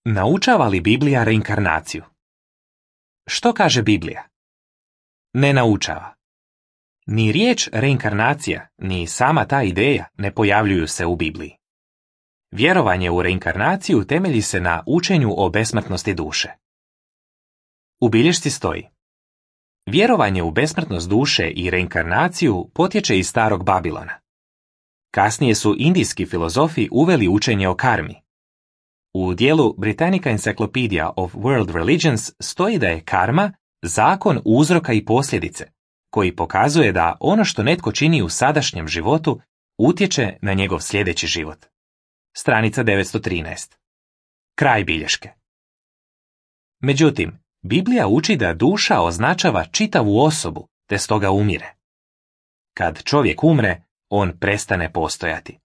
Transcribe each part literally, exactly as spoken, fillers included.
Naučava li Biblija reinkarnaciju? Što kaže Biblija? Ne naučava. Ni riječ reinkarnacija, ni sama ta ideja ne pojavljuju se u Bibliji. Vjerovanje u reinkarnaciju temelji se na učenju o besmrtnosti duše. U bilješci stoji: vjerovanje u besmrtnost duše i reinkarnaciju potječe iz starog Babilona. Kasnije su indijski filozofi uveli učenje o karmi. U dijelu Britannica Encyclopedia of World Religions stoji da je karma zakon uzroka i posljedice, koji pokazuje da ono što netko čini u sadašnjem životu utječe na njegov sljedeći život. Stranica devetsto trinaest. Kraj bilješke. Međutim, Biblija uči da duša označava čitavu osobu, te stoga umire. Kad čovjek umre, on prestane postojati.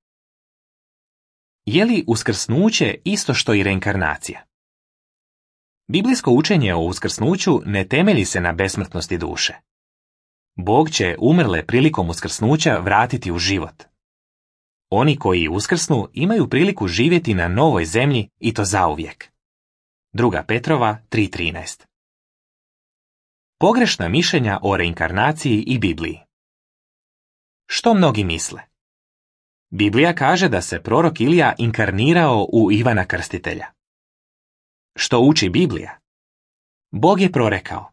Je li uskrsnuće isto što i reinkarnacija? Biblijsko učenje o uskrsnuću ne temelji se na besmrtnosti duše. Bog će umrle prilikom uskrsnuća vratiti u život. Oni koji uskrsnu imaju priliku živjeti na novoj zemlji i to zauvijek. Druga Petrova tri trinaest. Pogrešna mišljenja o reinkarnaciji i Bibliji. Što mnogi misle? Biblija kaže da se prorok Ilija inkarnirao u Ivana Krstitelja. Što uči Biblija? Bog je prorekao: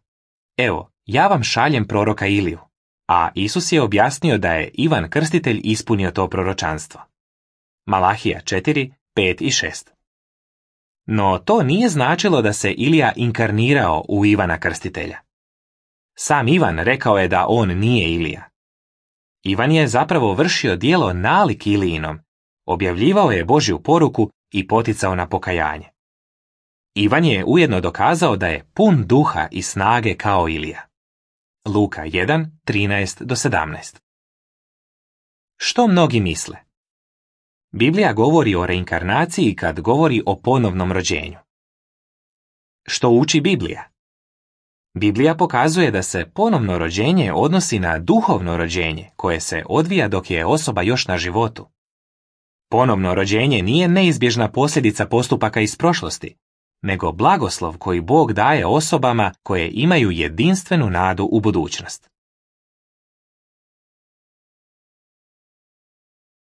evo, ja vam šaljem proroka Iliju, a Isus je objasnio da je Ivan Krstitelj ispunio to proročanstvo. Malahija četiri, pet i šest. No to nije značilo da se Ilija inkarnirao u Ivana Krstitelja. Sam Ivan rekao je da on nije Ilija. Ivan je zapravo vršio djelo nalik Ilijinom, objavljivao je Božju poruku i poticao na pokajanje. Ivan je ujedno dokazao da je pun duha i snage kao Ilija. Luka jedan, trinaest do sedamnaest. Što mnogi misle? Biblija govori o reinkarnaciji kad govori o ponovnom rođenju. Što uči Biblija? Biblija pokazuje da se ponovno rođenje odnosi na duhovno rođenje koje se odvija dok je osoba još na životu. Ponovno rođenje nije neizbježna posljedica postupaka iz prošlosti, nego blagoslov koji Bog daje osobama koje imaju jedinstvenu nadu u budućnost.